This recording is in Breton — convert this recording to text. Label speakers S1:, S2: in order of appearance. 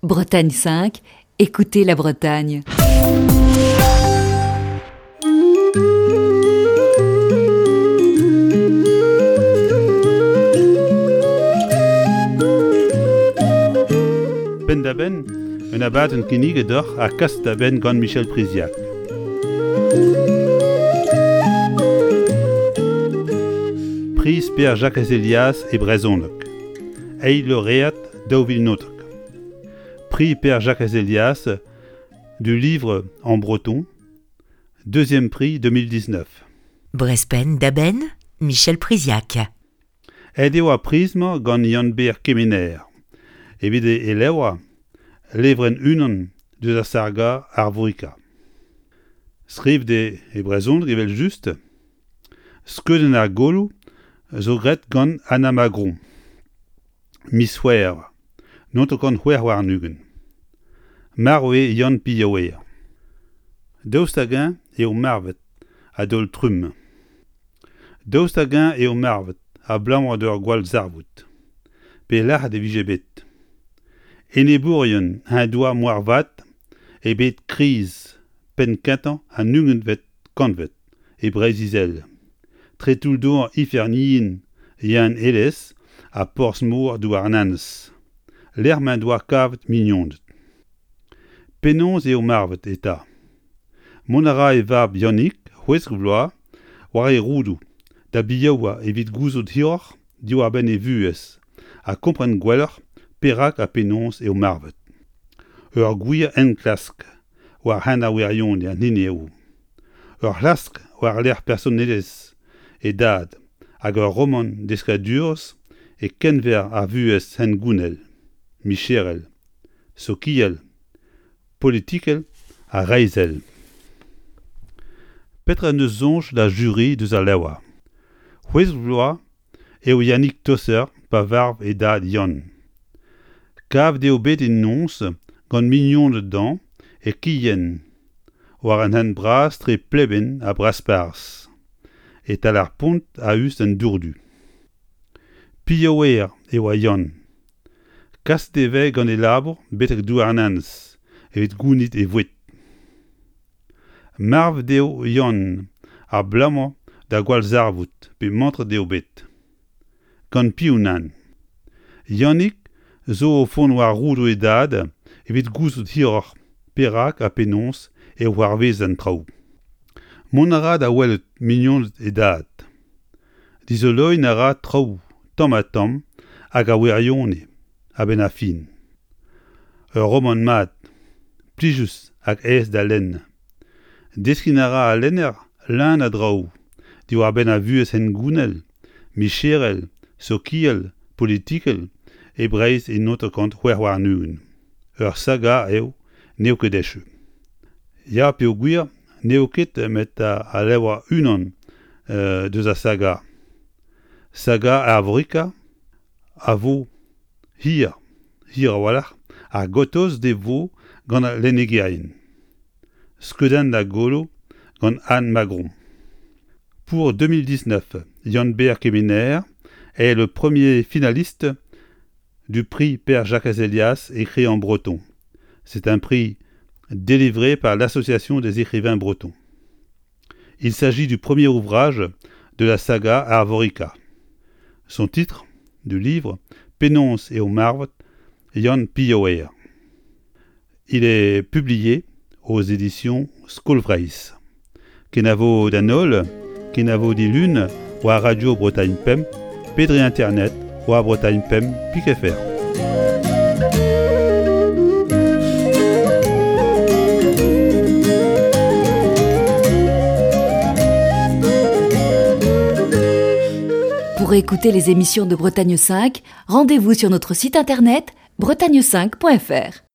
S1: Bretagne 5, écoutez la Bretagne.
S2: Penn-da-benn, un abadenn kinniget deoc'h ha kaset da benn gant Michel Priziac. Priz Pêr-Jakez Elias e brezhoneg. Eil loread 2019. Prix Père Jacques Elias du livre en breton, deuxième prix 2019.
S3: Brespenn da benn, Michel Priziac.
S2: Aet eo ar priz-mañ gant Yann-Ber Kemener evit e levr Levrenn unan deus ar saga Arvorika. Skrivet eo e brezhoneg evel-just. Skeudenn ar golo zo graet gant Anna Magron. Miz C'hwevrer 1926. Marv eo Yann Pilhaouer. Daoust hag-eñ eo marvet a-daol-trumm? Daoust hag-eñ eo marvet abalamour d'ur gwallzarvoud? Pe lac'het e vije bet? Enebourien eñ doa moarvat e bed kriz penn-kentañ an ugentvet kantved e Breizh-Izel. Tre toull-douar ifern yen Yann Elez ha porzh-mor Douarnenez, lec'h m'en doa kavet mignoned. Penaos eo marvet eta? Mont a ra e vab Yannig, 16 vloaz, war e roudoù da biaouañ evit gouzout hiroc'h diwar-benn e vuhez ha kompren gwelloc'h perak ha penaos eo marvet. Ur gwir enklask war hent ar wirionez an hini eo. Ur c'hlask war-lerc'h personelezh e dad hag ur romant deskadurezh e-keñver ar vuhez hengounel, micherel, sokial, politikel ha reizhel. Petra en deus soñj da juri deus al levr? 16 vloaz eo Yannick Tosser pa varv e dad Yann. Kavet eo bet en noz gant mignoned dezhañ e Kienn, war an hent bras tre Pleben ha Brasparzh, e-tal ar pont a-us d'an Dourdu. Pilhaouer e oa Yann. Kaset e vez gant e labour betek Douarnenez evit gounit e voued. Marvet eo Yann abalamour da gwallzarvoud pe mantret eo bet. Gant piv nann? Yannig zo o vont war roudoù e dad evit gouzout hiroc'h perak ha penaos e c'hoarvez an traoù. Mont a ra da welet mignoned e dad. Dizoloiñ a ra traoù tamm-ha-tamm hag a wirionez a-benn ar fin. Ur romant mat, plijus hag aes da lenn. Deskiñ a ra al lenner leun a draoù diwar-benn ar vuhez hengounel, micherel, sokial, politikel e Breizh e 1926. Ur saga eo, n'eo ket echu. Ya peogwir n'eo ket met al levr unan deus ar saga. Saga Arvorika a vo hir, hir a-walc'h, ha gortoz e vo gant al lennegerien. Skeudenn da golo gant Anne Magron. Pour 2019, Yann-Ber Kemener est le premier finaliste du prix Père Jacques Elias écrit en breton. C'est un prix délivré par l'Association des écrivains bretons. Il s'agit du premier ouvrage de la saga Arvorica. Son titre du livre Penaos eo marvet Yann Pilhaouer. Il est publié aux éditions Skol Vreizh. Kenavo d'an holl, kenavo dilun war Radio Bretagne Pemp pe dre internet war Bretagne Pemp pik fr.
S1: Pour écouter les émissions de Bretagne 5, rendez-vous sur notre site internet bretagne5.fr.